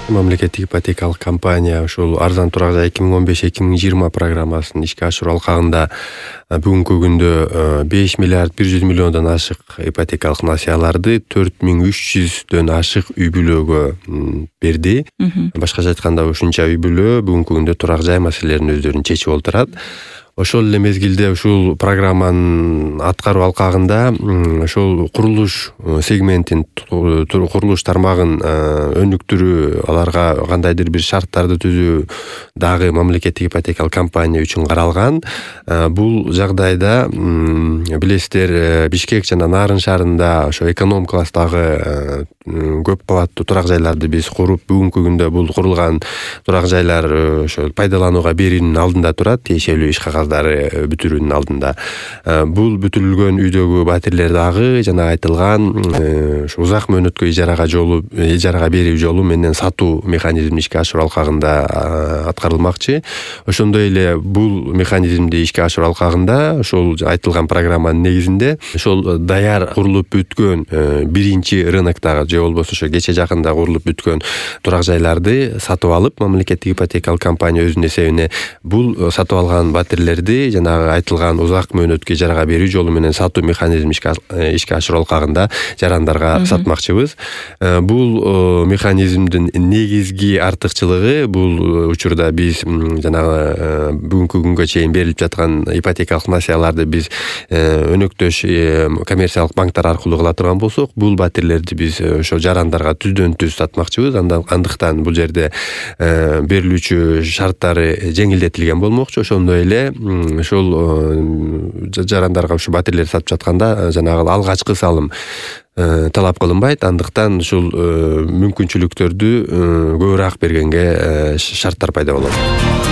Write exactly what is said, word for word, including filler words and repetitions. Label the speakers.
Speaker 1: Мамлекеттик ипотекалык компания ушул арзан турак жай эки миң он беш эки миң жыйырма программасын ишке ашыруу алкагында бүгүнкү күндө беш миллиард бир жүз миллиондон ашык ипотекалык насыяларды төрт миң үч жүздөн ашык үй бүлөгө берди. Башкача айтканда ушунча үй бүлө бүгүнкү күндө турак жай маселелерин өздөрүн чечип олтурат. Ошол эле мезгилде ушул программанын аткаруу алкагында ошол курулуш сегментин курулуш тармагын өнүктүрүү, аларга кандайдыр бир шарттарды түзүү дагы мамлекеттик ипотекалык компания үчүн каралган. Бул жагдайда билесиздер, Бишкек жана Нарын шаарында ошо эконом класстагы көп кабаттуу турак жайларды биз куруп, бүгүнкү күндө бул курулган турак жайлар ошо пайдаланууга берүүнүн алдында турат, тиешелүү иш кагаздары бүтүрүүнүн алдында. Бул бүтүрүлгөн үйдөгү батирлер дагы жана айтылган ушу узак мөөнөткө ижарага жолу ижарага берүү жолу менен сатуу механизмин ишке ашыруу алкагында аткарылмакчы. Ошондой эле бул механизмди ишке ашыруу алкагында ошол айтылган программанын негизинде ошол даяр курулуп бүткөн биринчи рыноктогу же болбосо ошо кече жакында курулуп бүткөн турак жайларды сатып алып, мамлекеттик ипотекалык компания өзүнүн эсебине бул сатып алган батирлерди жанагы айтылган узак мөөнөткө ижарага берүү жолу менен сатуу механизмин ишке ашыруу алкагында жарандарга сатмакчыбыз. Бул механизмдин негизги артыкчылыгы бул учурда биз жанагы бүгүнкү күнгө чейин берилип жаткан ипотекалык насыяларды биз өнөктөш коммерциялык банктар аркылуу кыла турган болсок, бул батирлерди биз ошо жарандарга түздөн түз сатмакчыбыз. Андыктан бул жерде берилүүчү шарттары жеңилдетилген болмокчу. Ошондой эле ошол жарандарга ушу батирлерди сатып жатканда жанагы алгачкы салым талап кылынбайт. Андыктан ушул мүмкүнчүлүктөрдү көбүрөөк бергенге шарттар пайда болот.